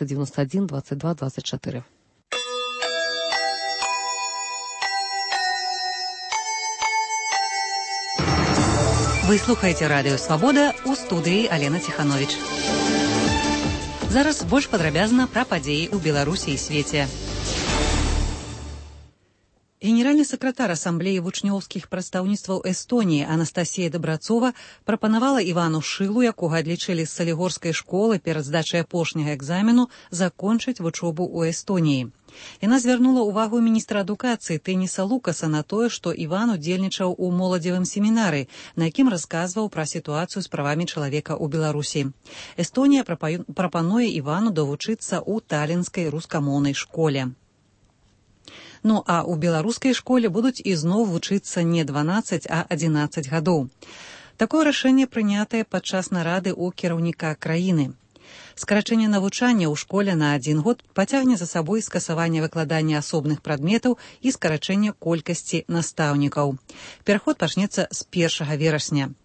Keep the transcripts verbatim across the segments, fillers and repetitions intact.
девяносто один двадцать два двадцать четыре. Ви слухаєте Радіо Свабода, у студії Алена Тиханович. Зараз больш падрабязна пра падзеі ў Беларусі і свеце. Генеральны сакратар Асамблеі вучнёўскіх прадстаўніцтваў Эстоніі Анастасія Дабрацова прапанавала Івану Шылу, якога адлічылі з Салігорскай школы перад здачай апошняга экзамену, закончыць вучобу ў Эстоніі. Яна звярнула ўвагу міністра адукацыі Тэніса Лукаса на тое, што Іван удзельнічаў у моладзевым семінары, на якім расказваў пра сітуацыю з правамі чалавека ў Беларусі. Эстонія прапануе Івану давучыцца ў талінскай рускамоўнай школе. Ну а ў беларускай школе будуць ізноў вучыцца не дванаццаць, а адзінаццаць гадоў. Такое рашэнне прынятае падчас нарады ў кіраўніка краіны. Скарачэнне навучання ў школе на адзін год пацягне за сабой скасаванне выкладання асобных прадметаў і скарачэнне колькасці настаўнікаў. Пераход пачнецца з першага верасня.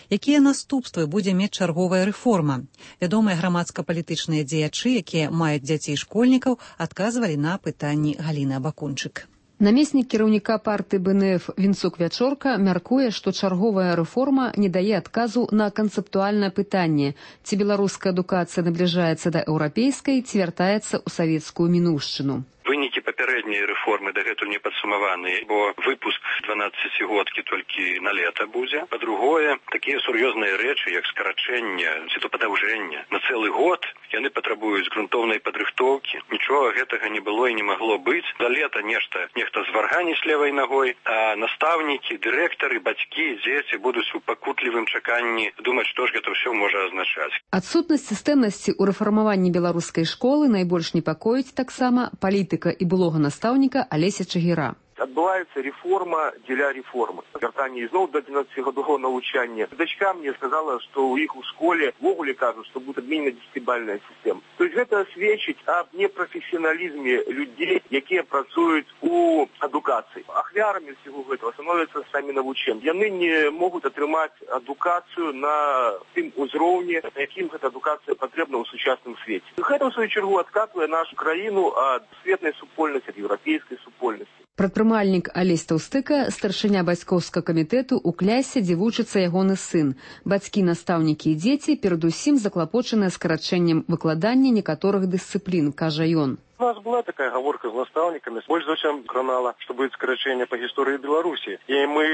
Якія наступствы будзе мець чарговая рэформа? Вядомыя грамадска-палітычныя дзеячы, якія маюць дзяцей школьнікаў, адказвалі на пытанні Галіны Абакунчык. Намеснік кіраўніка партыі Бэ Эн Эф Вінцук Вячорка мяркуе, што чарговая рэформа не дае адказу на канцэптуальнае пытанне, ці беларуская адукацыя набліжаецца да еўрапейскай, ці вяртаецца ў савецкую мінуўшчыну. Вынікі папярэдняй рэформы дагэтуль не падсумаваныя, бо выпуск дванаццацігодкі толькі на лета будзе. Па-другое, такія сур'ёзныя рэчы, як скарачэнне ці то падаўжэнне на цэлы год, яны патрабуюць грунтоўнай падрыхтоўкі. Нічога гэтага не было і не магло быць. Да лета нешта нехта зварганіць левай ногой, а настаўнікі, дырэктары, бацькі, дзеці будуць у пакутлівым чаканні думаць, што ж гэта ўсё можа азначаць. Адсутнасць сістэмнасці ў рэфармаванні беларускай школы найбольш непакоіць таксама палітыка і былога настаўніка Алеся Чагіра. Адбываецца рэформа дзеля рэформы. Вяртанне ізноў да адзінаццацігадовага навучання. Дачка мне сказала, што ў іх у школе ввогуле кажуць, што будзе адменена дзесяцібальная сістэма. То есть гэта сведчыць аб непрафесіяналізме людзей, якія працуюць у адукацыі. Ахвярамі ўсяго гэтага становяцца самі навучэнцы. Яны не могуць атрымаць адукацыю на тым узроўні, на якім гэта адукацыя патрэбна ў сучасным свеце. Гэта, ў сваю чаргу, адкатвае нашу краіну ад светлай супольнасці, ад еўрапейскай супольнасці. Прадпрымальнік Алесь Таўстыка, старшыня бацькоўскага камітэту ў клясе, дзе вучыцца ягоны сын. Бацькі, настаўнікі і дзеці перадусім заклапочаныя скарачэннем выкладання некаторых дысцыплін, кажа ён. У нас была такая гаворка з настаўнікамі, больш за ўсё кранала, што будзе скарачэнне па гісторыі Беларусі. І мы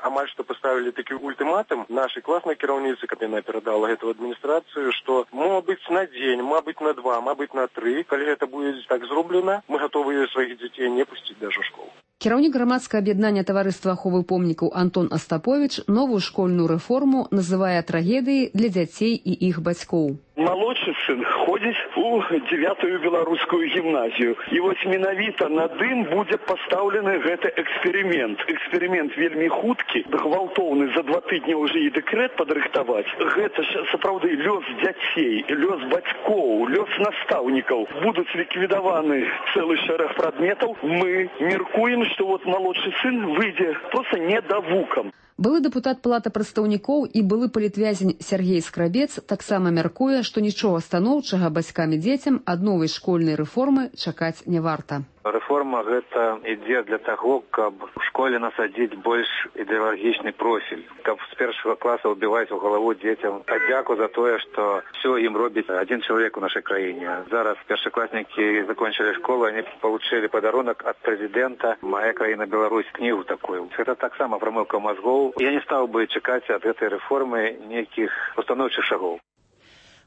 амаль што паставілі такі ультыматум нашай класнай кіраўніцы, каб яна перадала гэту адміністрацыю, што мабыць на дзень, мабыць на два, мабыць на тры, калі гэта будзе так зроблена, мы гатовыя сваіх дзяцей не пусціць даже ў школу. Кіраўнік грамадскага аб'яднання таварыства аховы помнікаў Антон Астапович новую школьную рэформу называе трагедыяй для дзяцей і іх бацькоў. Малодшы сын ходзіць у дзявятую беларускую гімназію. І вось менавіта над ім будзе пастаўлены гэты эксперымент. Эксперымент вельмі хуткі, гвалтоўны, за два тыдні ўжо і дэкрэт падрыхтаваць. Гэта ж сапраўды лёс дзяцей, лёс бацькоў, лёс настаўнікаў. Будуць ліквідаваны цэлы шэраг прадметаў. Мы меркуем, што вот малодшы сын выйдзе проста недавукам. Былы дэпутат Палаты прадстаўнікоў і былы палітвязень Сергей Скрабец таксама мяркуе, што нічога станоўчага бацькам і дзецям ад новай школьнай рэформы чакаць не варта. Рэформа гэта ідзе для таго, каб у школе насадзіць больш ідэалагічны профіль, каб з першага класа ўбіваць у галаву дзецям падзяку за тое, што ўсё ім робіць адзін чалавек у нашай краіне. Зараз першакласнікі закончылі школу, они получили падарунак ад прэзідэнта «Моя краіна Беларусь», кнігу такую. Гэта таксама прамыўка мазгоў. Я не стаў бы чакаць ад гэтай рэформы нейкіх устаноўчых шагоў.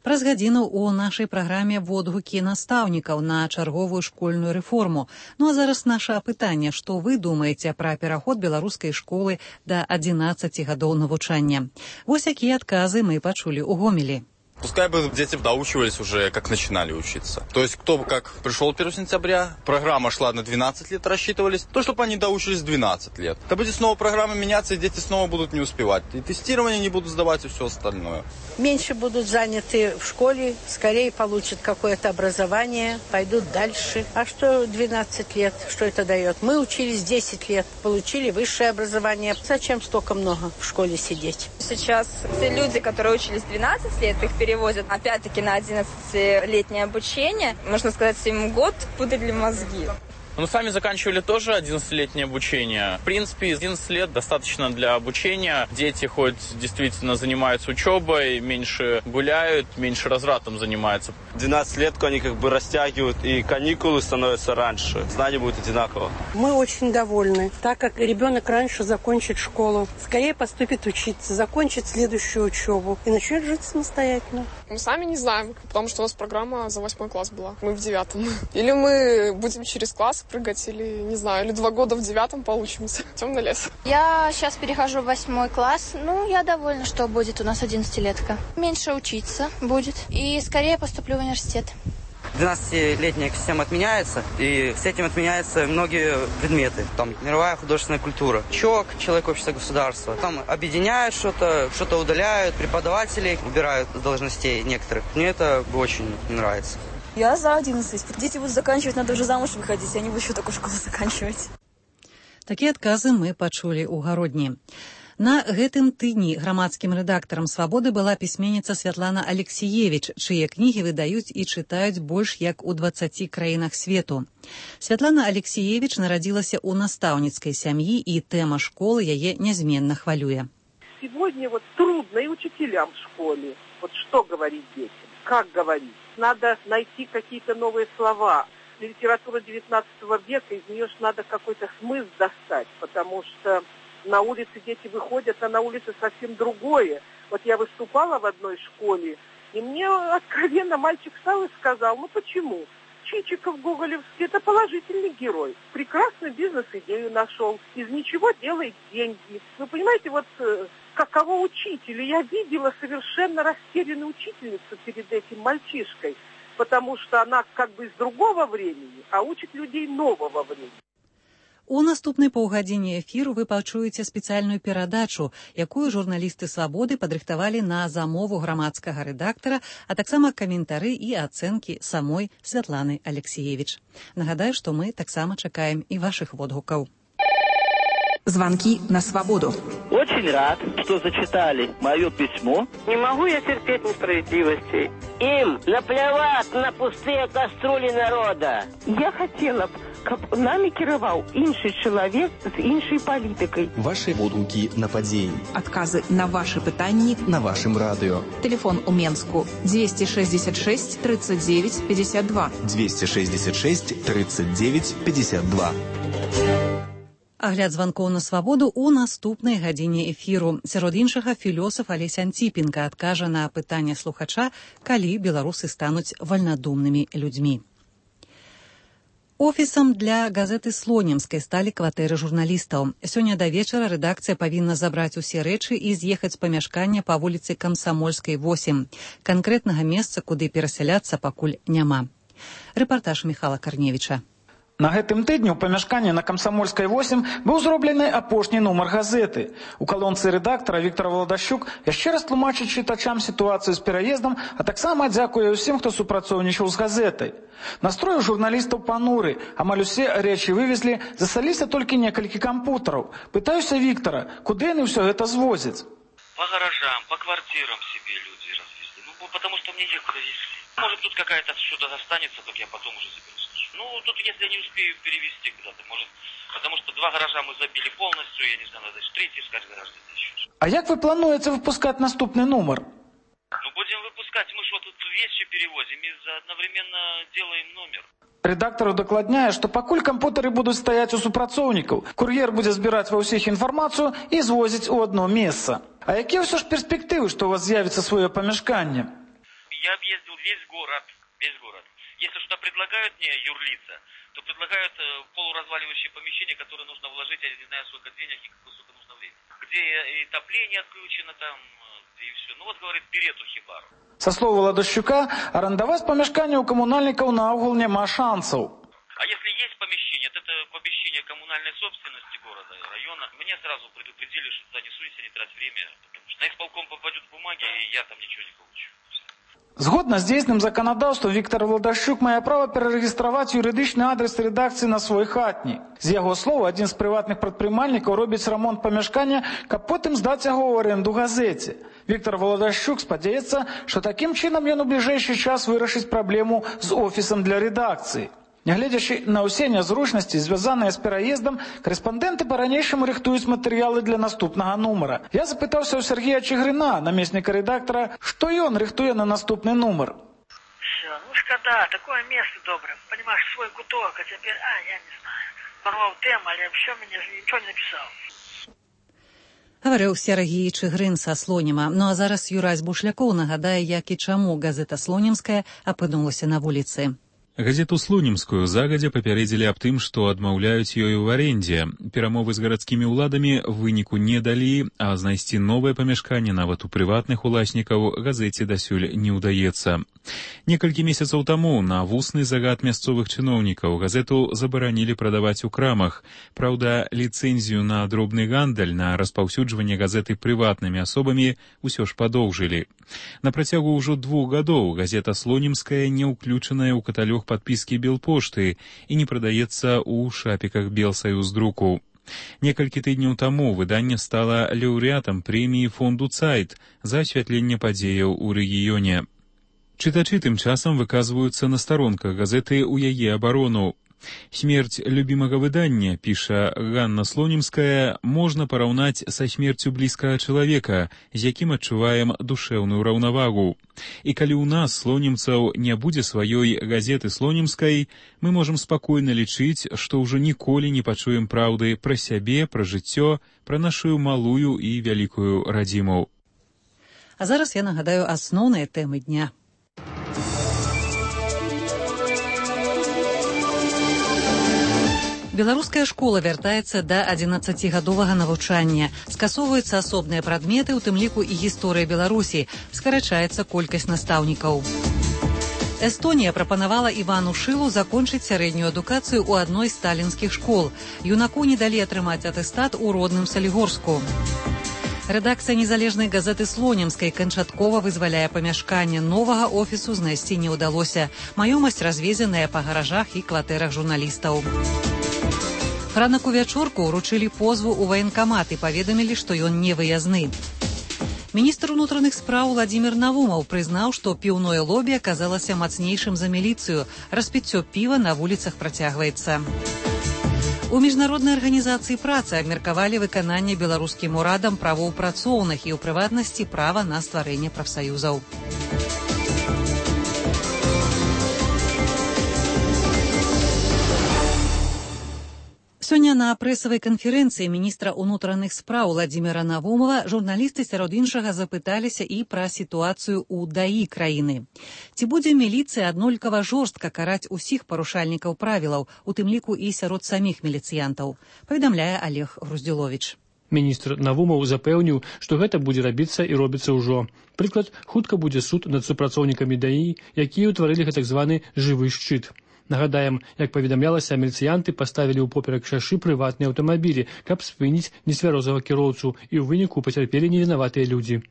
Праз гадзіну ў нашай праграме водгукі настаўнікаў на чарговую школьную рэформу. Ну а зараз наша апытанне, што вы думаеце пра пераход беларускай школы да адзінаццаці гадоў навучання. Вось якія адказы мы пачулі ў Гомелі. Пускай бы дети доучивались уже, как начинали учиться. То есть, кто как пришел первого сентября, программа шла на двенадцать лет, рассчитывались, то, чтобы они доучились двенадцать лет. То будет снова программа меняться, и дети снова будут не успевать. И тестирование не будут сдавать, и все остальное. Меньше будут заняты в школе, скорее получат какое-то образование, пойдут дальше. А что двенадцать лет, что это дает? Мы учились десять лет, получили высшее образование. Зачем столько много в школе сидеть? Сейчас все люди, которые учились двенадцать лет, их перевозят опять-таки на одиннадцатилетнее обучение. Можно сказать, им год пудрили мозги. Ну, сами заканчивали тоже одиннадцатилетнее обучение. В принципе, одиннадцать лет достаточно для обучения. Дети хоть действительно занимаются учебой, меньше гуляют, меньше развратом занимаются. двенадцать лет они как бы растягивают, и каникулы становятся раньше. Знания будут одинаково. Мы очень довольны, так как ребенок раньше закончит школу. Скорее поступит учиться, закончит следующую учебу и начнет жить самостоятельно. Мы сами не знаем, потому что у нас программа за восьмой класс была. Мы в девятом. Или мы будем через класс прыгать, или, не знаю, или два года в девятом получимся. Темный лес. Я сейчас перехожу в восьмой класс. Ну, я довольна, что будет у нас одиннадцатилетка. Меньше учиться будет. И скорее поступлю в университет. двенадцатилетняя система отменяется, и с этим отменяются многие предметы. Там мировая художественная культура, ЧОК, человек, общество, государство. Там объединяют что-то, что-то удаляют, преподавателей убирают с должностей некоторых. Мне это очень нравится. Я за одиннадцать. Дети будут заканчивать, надо уже замуж выходить, я не буду еще такую школу заканчивать. Такія адказы мы пачулі ў гародні. На гэтым тыдні грамадскім рэдактарам «Свабоды» была пісьменніца Святлана Алексіевіч, чые кнігі выдаюць і чытаюць больш як у дваццаці краінах свету. Святлана Алексіевіч нарадзілася ў настаўніцкай сям'і, і тэма школы яе нязменна хвалюе. Сегодня вот трудно и учителям в школе. Вот что говорить детям, как говорить. Надо найти какие-то новые слова. Литература девятнадцатого века, из нее ж надо какой-то смысл достать, потому что на улице дети выходят, а на улице совсем другое. Вот я выступала в одной школе, и мне откровенно мальчик встал и сказал, ну почему? Чичиков гоголевский – это положительный герой. Прекрасную бизнес-идею нашел. Из ничего делает деньги. Вы понимаете, вот каково учителю? Я видела совершенно растерянную учительницу перед этим мальчишкой, потому что она как бы из другого времени, а учит людей нового времени. У наступнай паўгадзіне эфіру вы пачуеце спецыяльную перадачу, якую журналісты «Свабоды» падрыхтавалі на замову грамадскага рэдактара, а таксама каментары і ацэнкі самой Святланы Алексіевіч. Нагадаю, што мы таксама чакаем і вашых водгукаў. Звонки на свободу. Очень рад, что зачитали мое письмо. Не могу я терпеть несправедливости. Им наплевать на пустые кастрюли народа. Я хотела б, каб нами кіраваў іншы чалавек з іншай палітыкай. Ваши водгукі на падзеі. Адказы на ваши пытанні на вашым радыё. Телефон у Менску двести шестьдесят шесть тридцать девять пятьдесят два. двести шестьдесят шесть тридцать девять пятьдесят два. Агляд званкоў на свабоду ў наступнай гадзіне эфіру. Сярод іншага, філёсаф Алесь Анціпенка адкажа на пытанне слухача, калі беларусы стануць вальнадумнымі людзьмі. Офісам для газеты «Слонімскай» сталі кватэры журналістаў. Сёння да вечара рэдакцыя павінна забраць усе рэчы і з'ехаць з памяшкання па вуліцы Камсамольскай, восем. Канкрэтнага месца, куды перасяляцца, пакуль няма. Рэпартаж Міхала Карневіча. На гэтым тыдні ў памяшканні на Камсамольскай восем быў зроблены апошні нумар газеты. У калонцы рэдактара Віктор Владашчук яшчэ раз тлумачыць чытачам сітуацыю з пераездам, а таксама дзякуе ўсім, хто супрацоўнічаў з газетай. Настрой у журналістаў пануры, амаль усе рэчы вывезлі, засталіся толькі некалькі кампутараў. Пытаюся Віктора, куды яны ўсё гэта звозяць? По гаражам, по квартирам себе люди развезли. Ну, потому что мне некуда везли. Может, тут какая-то что-то останется, так я потом уже заберу. Ну, тут если я не успею перевезти куда-то, может, потому что два гаража мы забили полностью, я не знаю, надо третий искать гараж где-то еще. А як вы плануеце выпускать наступный номер? Ну, будем выпускать, мы что тут вещи перевозим и одновременно делаем номер. Рэдактар удакладняе, што пакуль кампутары будуць стаяць у супрацоўнікаў, кур'ер будзе збіраць ва ўсіх інфармацыю і звозіць у одно месца. А якія ўсё ж перспектывы, што у вас з'явіцца сваё памяшканне? Я объездил весь город, весь город. Если что предлагают мне юрлица, то предлагают э, полуразваливающее помещение, которое нужно вложить, я не знаю, сколько денег и сколько нужно времени. Где и топление отключено там, и все. Ну вот, говорит, бери эту хибару. Со слова Владашчука, арендовать помещение у коммунальников наогул нема шансов. А если есть помещение, то это помещение коммунальной собственности города, района. Мне сразу предупредили, что туда не суйся, не трать время, потому что на исполком попадут бумаги, и я там ничего не получу. Згодна з дзейсным заканадаўствам Віктор Владашчук мае права перарэгістраваць юрыдычны адрес рэдакцыі на свой хатні. З яго слоў, адзін з прыватных прадпрымальнікаў робіць рамонт памяшкання, каб потым здаць яго ў арэнду газеце. Віктор Владашчук спадзяецца, што такім чынам ён у бліжэйшы час вырашыць праблему з офісам для рэдакцыі. Нягледзячы на ўсе нязручнасці, звязаныя з пераездам, корэспандэнты па-ранейшаму рыхтуюць матэрыялы для наступнага нумара. Я запытаўся ў Сергея Чыгрына, намесніка рэдактара, што ён рыхтуе на наступны нумар. Все, ну шкода, такое место доброе. Понимаешь, свой куток, а теперь, а, я не знаю. Порвал тему, але все, мне ничего не написал. Гаварыў Сергей Чыгрын са Слоніма. Ну а зараз Юрась Бушлякоў нагадае, як і чаму газета «Слонімская» апынулася на вуліцы. Газету «Слонімскую» загадзя папярэдзілі аб тым, што адмаўляюць ёю ў арэндзе. Перамовы з гарадскімі ўладамі выніку не далі, а знайсці новае памяшканне нават у прыватных уласнікаў газеце дасюль не ўдаецца. Некалькі месяцаў таму на вусны загад мясцовых чыноўнікаў газету забаранілі прадаваць у крамах. Праўда, ліцэнзію на дробны гандаль на распаўсюджванне газеты прыватнымі асобамі ўсё ж падоўжылі. На працягу ўжо двух гадоў газета «Слонімская» не ўключаная ў каталог подписки Белпошты і не прадаецца ў шапіках Белсаюздруку. Некалькі тыдняў таму выданне стала лаўрэатам прэміі фонду «Цайт» за асвятленне падзеяў у рэгіёне. Чытачы тым часам выказваюцца на старонках газеты ў яе абарону. Смерць любімага выдання, піша Ганна Слонімская, можна параўнаць са смерцю блізкага чалавека, з якім адчуваем душэўную раўнавагу. І калі ў нас, слонімцаў, не будзе сваёй газеты «Слонімскай», мы можам спакойна лічыць, што ўжо ніколі не пачуем праўды пра сябе, пра жыццё, пра нашу малую і вялікую радзіму. А зараз я нагадаю асноўныя тэмы дня. Беларуская школа вяртаецца да адзінаццацігадовага навучання. Скасоўваюцца асобныя прадметы, у тым ліку і гісторыя Беларусі. Скарачаецца колькасць настаўнікаў. Эстонія прапанавала Івану Шылу закончыць сярэднюю адукацыю ў адной з сталінскіх школ. Юнаку не далі атрымаць атэстат у родным Салігорску. Рэдакцыя незалежнай газеты «Слонімскай» канчаткова вызваляе памяшканне. Новага офісу знайсці не ўдалося. Маёмасць развезеная па гаражах і кватэрах журналістаў. Франаку Вячорку ўручылі позву ў ваенкамат і паведамілі, што ён не выязны. Міністр унутраных спраў Владзімір Навумаў прызнаў, што піўное лобі аказалася мацнейшым за міліцыю. Распіццё піва на вуліцах працягваецца. У міжнароднай арганізацыі працы абмеркавалі выкананне беларускім урадам правоў працоўных і, ў прыватнасці, права на стварэнне прафсаюзаў. Сёння на прэсавай канферэнцыі міністра ўнутраных спраў Владзіміра Навумова журналісты сярод іншага запыталіся і пра сітуацыю ў даі краіны. Ці будзе міліцыя аднолькава жорстка караць усіх парушальнікаў правілаў, у тым ліку і сярод саміх міліцыянтаў, паведамляе Олег Груздзіловіч. Міністр Навумаў запэўніў, што гэта будзе рабіцца і робіцца ўжо. Прыклад, хутка будзе суд над супрацоўнікамі даі, якія ўтварылі гэтак званы жывы шчыт. Нагадаем, як паведамлялася, міліцыянты паставілі ў поперак шашы прыватныя аўтамабілі, каб спыніць нецвярозага кіроўцу, і ў выніку пацярпелі невінаватыя людзі.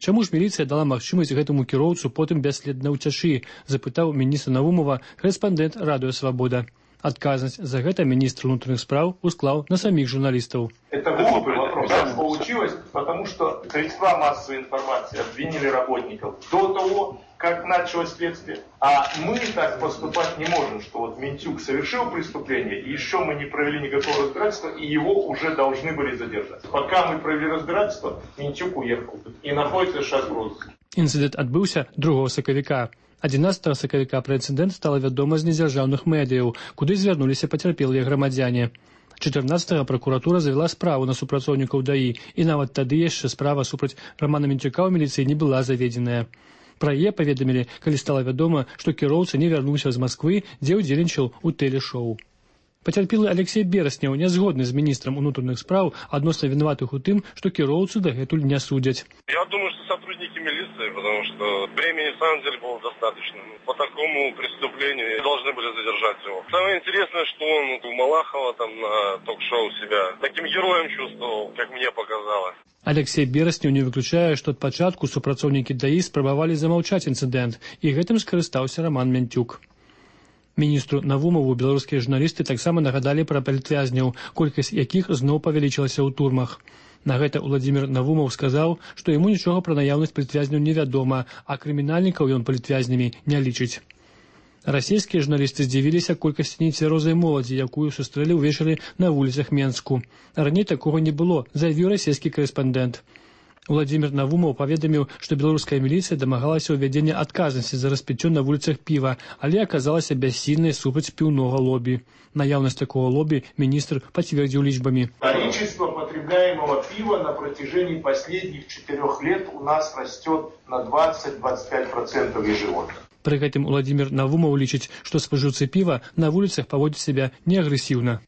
Чаму ж міліцыя дала магчымасць гэтаму кіроўцу потым бясследна ўцячы, запытаў міністр Навумова карэспандэнт Радыё Свабода. Адказнасць за гэта міністр унутраных спраў усклаў на самих журналистов. Это глупый вопрос. Так получилось, потому что средства массовой информации обвинили работников до того, как началось следствие. А мы так поступать не можем, что вот Минтюк совершил преступление, и еще мы не провели никакого разбирательства, и его уже должны были задержать. Пока мы провели разбирательство, Минтюк уехал и находится сейчас в розыске. Інцыдэнт адбыўся другога сакавіка. адзінаццатага сакавіка пра інцыдэнт стала вядома з незяржаўных медыяў, куды звярнуліся пацярпелыя грамадзяне. чатырнаццатага пракуратура завяла справу на супрацоўнікаў даі, і нават тады яшчэ справа супраць Рамана Мінчука ў міліцыі не была заведзеная. Пра яе паведамілі, калі стала вядома, што кіроўца не вярнуўся з Масквы, дзе ўдзельнічаў у тэлешоу. Пацярпелы Алексей Берасняў не згодны з міністрам унутраных спраў адносна вінаватых у тым, што кіроўцу дагэтуль не судзяць. Я думаю, что сотрудники милиции, потому что времени на самом деле было достаточно. По такому преступлению должны были задержать его. Самое интересное, что он мала Малахова там на ток-шоу себя таким героем чувствовал, как мне показалось. Алексей Бераснеў не выключае, што ад пачатку супрацоўнікі ДАІ спрабавалі замаўчаць інцыдэнт, і гэтым скарыстаўся Роман Мянтюк. Міністру Навумову беларускія журналісты таксама нагадалі пра палітвязняў, колькасць якіх зноў павялічылася ў турмах. На гэта Уладзімір Навумаў сказаў, што яму нічога пра наяўнасць палітвязняў невядома, а крымінальнікаў ён палітвязнямі не лічыць. Расійскія журналісты здзівіліся колькасці нецвярозай моладзі, якую сустрэлі ўвечары на вуліцах Менску. Раней такога не было, заявіў расійскі корэспандэнт. Уладзімір Навумаў паведаміў, што беларуская міліцыя дамагалася ўвядзення адказнасці за распіццё на вуліцах піва, але аказалася бяссільнай супраць піўнога лобі. Наяўнасць такого лобби министр подтвердил личбами. Количество потребляемого пива на протяжении последних четырех лет у нас растет на двадцать-двадцать пять процентов ежегодно. При гэтым Уладзімір Навумаў лічыць, што спажыўцы піва на вуліцах паводзяць сябе неагрэсіўна.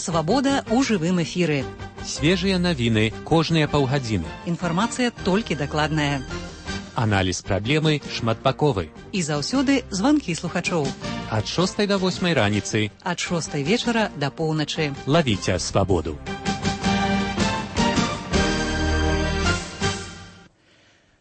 Свабода ў жывым эфіры. Свежыя навіны кожныя паўгадзіны. Інфармацыя толькі дакладная. Аналіз праблемы шматбаковы. І заўсёды званкі слухачоў. Ад шостай да восьмай раніцы. Ад шостай вечара да поўначы. Лавіце свабоду.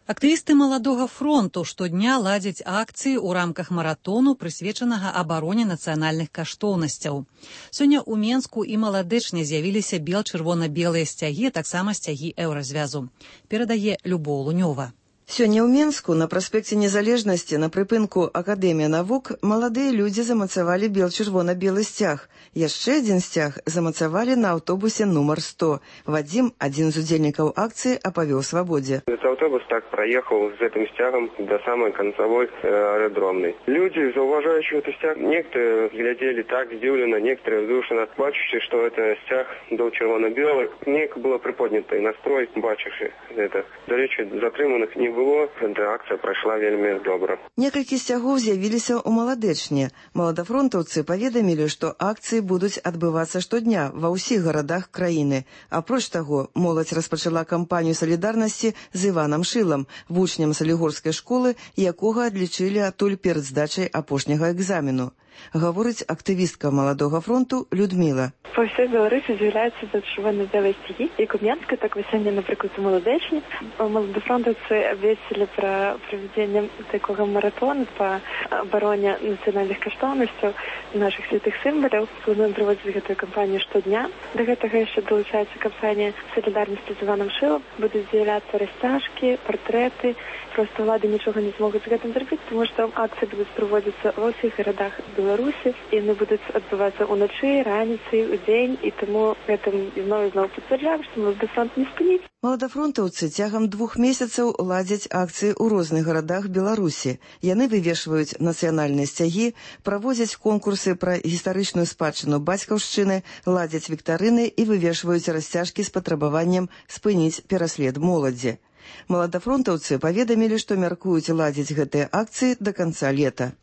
Актывісты маладога фронту штодня ладзяць акцыі ў рамках маратону, прысвечанага абароне нацыянальных каштоўнасцяў. Сёння ў Менску і Маладэчне з'явіліся бел-чырвона-белыя сцягі, таксама сцягі еўразвязу. Перадае Любоў Лунёва. Сёння ў Менску на праспекце Незалежнасці на прыпынку Акадэмія навук маладыя людзі замацавалі бел-чырвона-белы сцяг. Яшчэ адзін сцяг замацавалі на аўтобусе нумар сто. Вадзім, адзін з удзельнікаў акцыі, апавёў свабодзе. Автобус так проехал с этим стягом до самой концевой э, аэродромной. Люди, зауважающие этот стяг, некоторые глядели так сдивленно, некоторые вздушенно, бачивши, что это стяг был червоно-белый. Неяк было приподнято и настрой, бачивши это. До речі, затриманих не было, эта акция пройшла вельмі добра. Некалькі сцягоў з'явіліся ў Маладэчне. Маладафронтаўцы паведамілі, што акцыі будуць адбывацца штодня ва ўсіх гарадах краіны. Апроч таго, моладзь распачала кампанію салідарнасці з Іванам Шылам, вучнем салігорскай школы, якога адлічылі адтуль перад здачай апошняга экзамену. Гаворыць актывістка маладога фронту Людміла. Па ўсёй Беларусі з'яўляюцца чырвона-белыя сцягі, як у Менску, так і сёння, напрыклад, у Маладэчні. Маладафронтаўцы абвесцілі пра правядзенне такога маратону па абароне нацыянальных каштоўнасцяў нашых святых сімваляў. Плануем праводзіць гэтую кампанію штодня. Да гэтага яшчэ далучаецца кампанія салідарнасці з Іванам Шылам. Будуць з'яўляцца расцяжкі, партрэты. Проста ўлады нічога не змогуць з гэтым зрабіць, тому што акцыі будуць праводзіцца ва ўсіх гарадах Беларусі, і яны будуць адбывацца ўначы, раніцай, удзень, і таму гэтым зноў і зноў пацвярджаем, што маладафронт не спыніць. Маладафронтаўцы цягам двух месяцаў ладзяць акцыі ў розных гарадах Беларусі. Яны вывешваюць нацыянальныя сцягі, праводзяць конкурсы пра гістарычную спадчыну бацькаўшчыны, ладзяць віктарыны і вывешваюць расцяжкі з патрабаваннем спыніць пераслед моладзі. Маладафронтаўцы паведамілі, што мяркуюць ладзіць гэтыя акцыі да канца лета.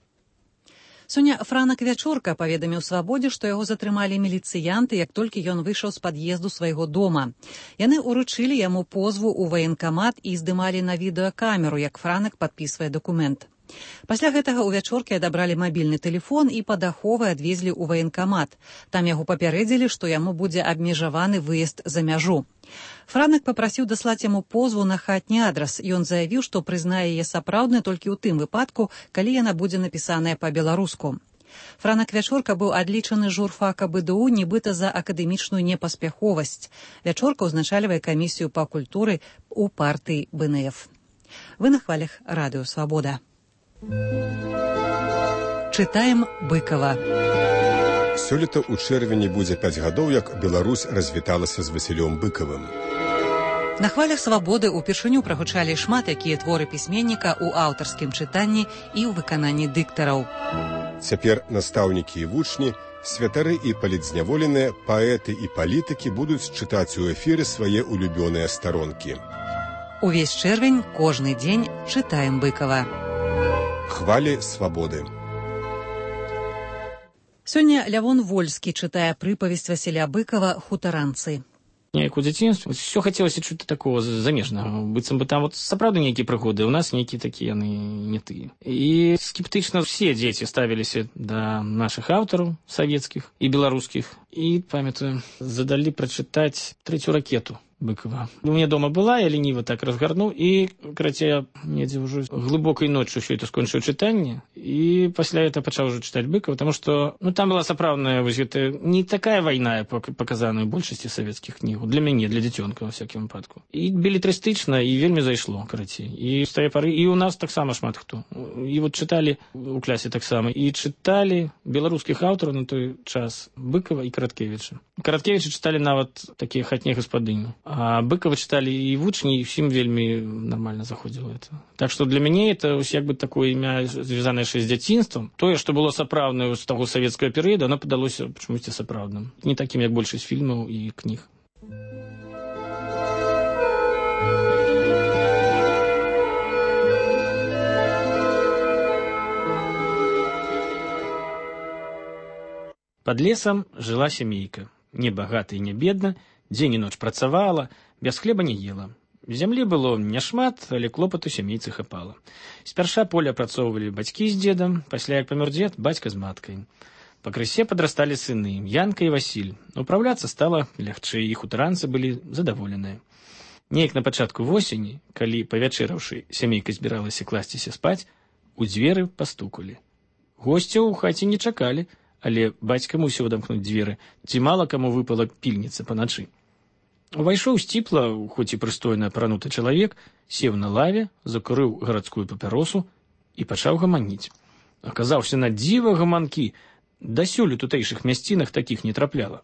Сёння Франак Вячорка паведаміў свабодзе, што яго затрымалі міліцыянты, як толькі ён выйшаў з пад'езду свайго дома. Яны ўручылі яму позву ў ваенкамат і здымалі на відэакамеру, як Франак падпісвае дакумент. Пасля гэтага ў Вячоркі адабралі мабільны тэлефон і пад аховай адвезлі ў ваенкамат. Там яго папярэдзілі, што яму будзе абмежаваны выезд за мяжу. Франак папрасіў даслаць яму позву на хатні адрас. Ён заявіў, што прызнае яе сапраўднай толькі ў тым выпадку, калі яна будзе напісаная па-беларуску. Франак Вячорка быў адлічаны журфака БДУ нібыта за акадэмічную непаспяховасць. Вячорка ўзначальвае камісію па культуры ў партыі БНФ. Вы на хвалях радыё «Свабода». Чытаем Быкова. Сёлета ў чэрвені будзе пяць гадоў, як Беларусь развіталася з Васілём Быкавым. На хвалях «Свабоды» упершыню прагучалі шмат якія творы пісьменніка ў аўтарскім чытанні і ў выкананні дыктараў. Цяпер настаўнікі і вучні, святары і палітзняволеныя, паэты і палітыкі будуць чытаць у эфіры свае улюбёныя старонкі. Увесь чэрвень, кожны дзень чытаем Быкава. Хвалі свабоды. Сёння Лявон Вольскі чытае прыпавесць Васіля Быкава «Хутаранцы». неяк у дзяцінстве все хацелася чуць такого замежнага, быццам бы там вот сапраўды нейкія прыгоды, у нас нейкія такія яны не тыя. І скептычна все дзеці ставіліся да нашых аўтараў савецкіх і беларускіх. І, памятаю, задалі прачытаць трэцюю ракету Быкова. У меня дома была, я лениво так разгарнуў, і, карацей, недзе ўжо глыбокай ноччу ўсё это скончыў чытанне, і пасля это пачаў ўжо чытаць Быкова, потому что, ну, там была сапраўдная, вось гэта, не такая вайна, паказаная ў большасці савецкіх кнігаў, для мяне, для дзіцёнка, ва всякім выпадку. І белетрыстычна, і вельмі зайшло, карацей. І з тае пары, і у нас таксама шмат хто. І вот чыталі у клясе таксама, і чыталі беларускіх аўтараў на той час Быкова і Караткевіча. Караткевіча чыталі нават такія хатнія гаспадыні. А Быкова читали и вучні, и всем вельми нормально заходило это. Так что для меня это як бы такое імя, звязанное с дзяцінствам. Тое, что было сапраўднае з таго савецкага перыяду, оно падалося чамусьці сапраўдным. Не таким, як большасць фільмаў і кніг. Под лесом жила семейка. Не богата и не бедна, дзень і ноч працавала, без хлеба не ела. Зямлі было няшмат, але клопату сямейцы хапала. Спярша поле апрацоўвалі бацькі з дзедам, пасля як памёр дзед, бацька з маткай. Пакрысе падрасталі сыны, Янка і Васіль. Упраўляцца стала лягчэй, і хутаранцы былі задаволеныя. Неяк на пачатку восені, калі, павячэраўшы, сямейка збіралася класціся спаць, у дзверы пастукалі. Госцяў у хаце не чакалі, але бацька мусіў адамкнуць дзверы, ці мала каму выпала пільніца паначы. Увайшоў сціпла, хоць і прыстойна апрануты чалавек, сеў на лаве, закурыў гарадскую папяросу і пачаў гаманіць. Аказаўся на дзіва гаманкі, дасюль у тутэйшых мясцінах такіх не трапляла.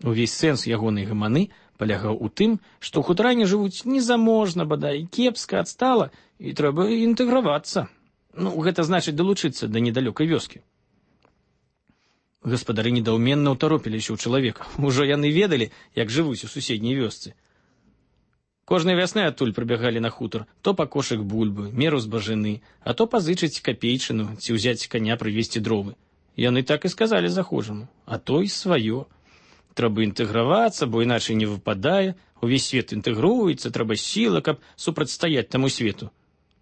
Увесь сэнс ягонай гаманы палягаў у тым, што ў хутаране жывуць незаможна, бадай, кепска, адстала, і трэба інтэгравацца. Ну, гэта значыць далучыцца да недалёкай вёскі. Гаспадары недаўменна ўтаропіліся ў чалавека. Ужо яны ведалі, як жывуць у суседняй вёсцы. Кожнай вясны адтуль прыбягалі на хутар, то па кошык бульбы, меру збажыны, а то пазычыць капейчыну ці ўзяць каня прывезці дровы. Яны так і сказалі захожаму, а то і сваё. Трэба інтэгравацца, бо іначай не выпадае, увесь свет інтэгруецца, трэба сіла, каб супрацьстаяць таму свету.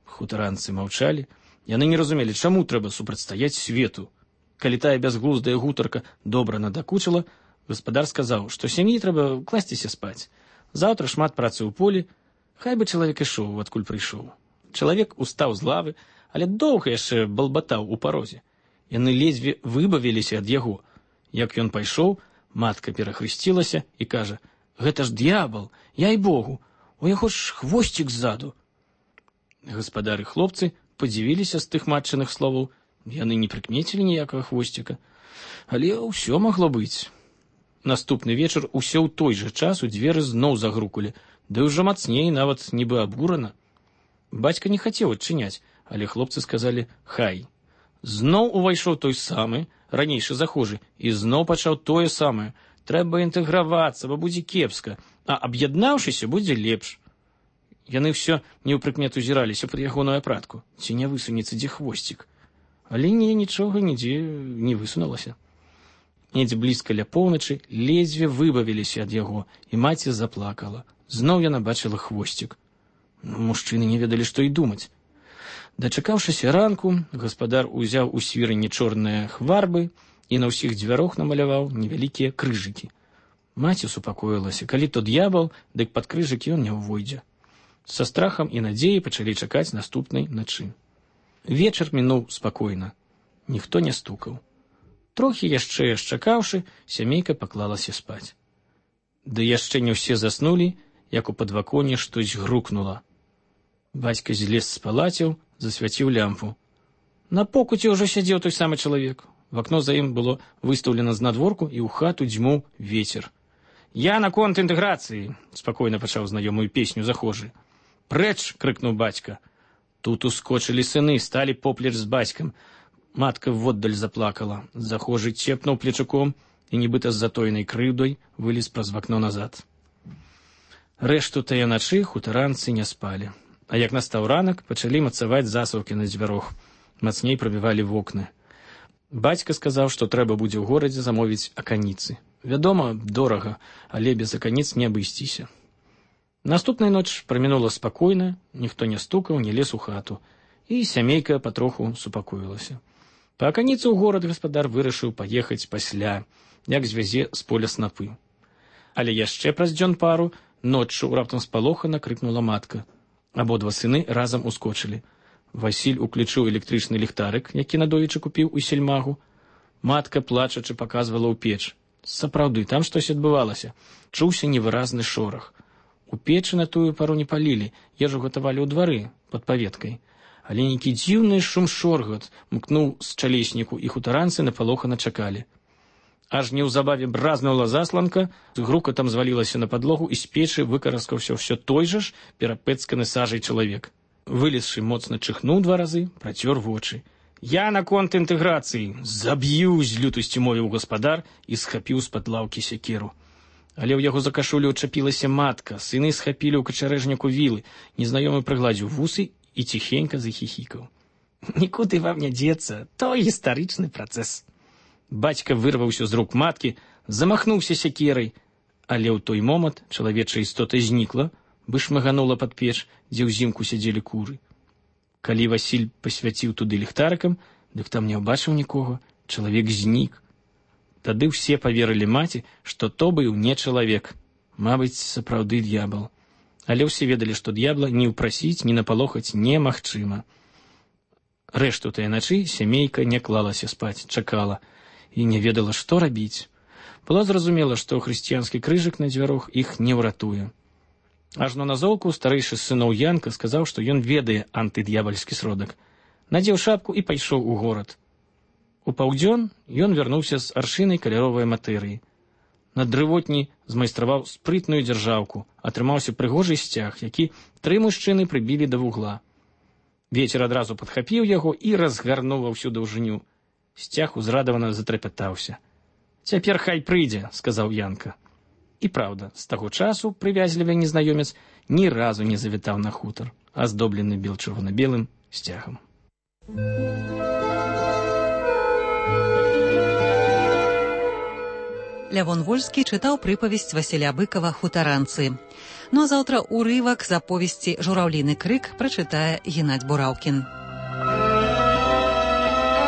Хутаранцы маўчалі, яны не разумелі, чаму трэба супрацьстаяць свету. Калі тая бязглуздая гутарка добра надакучыла, гаспадар сказаў, што сям'і трэба класціся спаць. Заўтра шмат працы ў полі, хай бы чалавек ішоў, адкуль прыйшоў. Чалавек устаў з лавы, але доўга яшчэ балбатаў у парозе. Яны ледзьве выбавіліся ад яго. Як ён пайшоў, матка перахрысцілася і кажа: «Гэта ж д'ябал, яй богу, у яго ж хвосцік ззаду». Гаспадар і хлопцы падзівіліся з тых матчыных словаў. Яны не прыкмецілі ніякага хвосціка, але ўсё магло быць. Наступны вечар усё ў той жа час у дзверы зноў загрукалі, ды ўжо мацней, нават нібы абурана. Бацька не хацеў адчыняць, але хлопцы сказалі «хай». Зноў увайшоў той самы, ранейшы захожы, і зноў пачаў тое самае. Трэба інтэгравацца, бо будзе кепска, а аб'яднаўшыся будзе лепш. Яны ўсё неўпрыкмет узіраліся пры ягоную апратку, ці не высунецца дзе хвосцік. Але не, нічога нідзе не высунулася. Недзе блізка ля поўначы ледзьве выбавіліся ад яго, і маці заплакала. Зноў яна бачыла хвосцік. Мужчыны не ведалі, што і думаць. Дачакаўшыся ранку, гаспадар узяў у свірыні чорныя хварбы і на ўсіх дзвярох намаляваў невялікія крыжыкі. Маці супакоілася, калі то д'ябал, дык пад крыжыкі ён не ўвойдзе. Са страхам і надзеяй пачалі чакаць наступнай начы. Вечар мінуў спакойна. Ніхто не стукаў. Трохі яшчэ чакаўшы, сямейка паклалася спаць. Ды яшчэ не ўсе заснулі, як у падваконе штось грукнула. Бацька злез з палаціў, засвяціў лямпу. На покуце ўжо сядзеў той самы чалавек. В акно за ім было выстаўлена знадворку, і ў хату дзьмуў вецер. «Я наконт інтэграцыі!» — спакойна пачаў знаёмую песню захожы. «Прэч!» — крыкнуў бацька. Тут ускочылі сыны, сталі поплеч з бацькам. Матка воддаль заплакала. Захожы цепнуў плечуком і, нібыта з затоенай крыўдай, вылез праз вакно назад. Рэшту тае начы хутаранцы не спалі. А як настаў ранак, пачалі мацаваць засаўкі на дзвярох. Мацней прабівалі вокны. Бацька сказаў, што трэба будзе ў горадзе замовіць аканіцы. Вядома, дорага, але без аканіц не абысціся. Наступная ноч прамінула спакойна, ніхто не стукаў, не лез у хату, і сямейка патроху супакоілася. Па аканіцу ў горад гаспадар вырашыў паехаць пасля, як звязе з поля снапы. Але яшчэ праз дзён пару ноччу раптам спалохана крыкнула матка. Абодва сыны разам ускочылі. Васіль уключыў электрычны ліхтарык, які надоечы купіў у сельмагу. Матка, плачачы, паказвала ў печ. Сапраўды, там штось адбывалася. Чуўся невыразны шорах. У печы на тую пару не палілі, ежу гатавалі ў двары, пад паветкай. Але нейкі дзіўны шум-шоргат мкнуў з чалесніку, і хутаранцы напалохана чакалі. Аж неўзабаве бразнула засланка, з грукатам звалілася на падлогу, і з печы выкараскаўся ўсё той жа ж перапэцканы сажай чалавек. Вылезшы моцна чихнуў два разы, працёр вочы. «Я на конт інтэграцыі! Заб'ю!» з лютасцю мовіў гаспадар і схапіў з-пад лаўкі сякеру. Але ў яго за кашулю ўчапілася матка, сыны схапілі ў качарэжніку вілы, незнаёмы прыгладзіў вусы і ціхенька захіхікаў. «Нікуды вам не дзецца, то гістарычны працэс». Бацька вырваўся з рук маткі, замахнуўся сякерай, але ў той момант чалавечая істота знікла, бы шмаганула пад печ, дзе ўзімку сядзелі куры. Калі Васіль пасвяціў туды ліхтарыкам, дык там не ўбачыў нікога, чалавек знік. Тады ўсе паверылі маці, што то быў не чалавек, мабыць, сапраўды д'ябал. Але ўсе ведалі, што д'ябла ні ўпрасіць, ні напалохаць немагчыма. Рэшту тая начы сямейка не клалася спаць, чакала, і не ведала, што рабіць. Было зразумела, што хрысціянскі крыжык на дзвярох іх не ўратуе. Ажно назоўку старэйшы з сыноў Янка сказаў, што ён ведае антыд'ябальскі сродак. Надзеў шапку і пайшоў у горад. У паўдзён ён вярнуўся з аршынай каляровай матэрыі. На дрывотні змайстраваў спрытную дзяржаўку, атрымаўся прыгожы сцяг, які тры мужчыны прыбілі да вугла. Вецер адразу падхапіў яго і разгарнуў ва ўсю даўжыню. Сцяг узрадавана затрапятаўся. «Цяпер хай прыйдзе», — сказаў Янка. І праўда, з таго часу прывязлівы незнаёмец ні разу не завітаў на хутар, аздоблены бел-чырвона-белым сцягам. Лявон Вольскі чытаў прыпавесць Васіля Быкава «Хутаранцы». Ну а заўтра ўрывак з аповесці «Жураўліны крык» прачытае Геннадзь Бураўкін.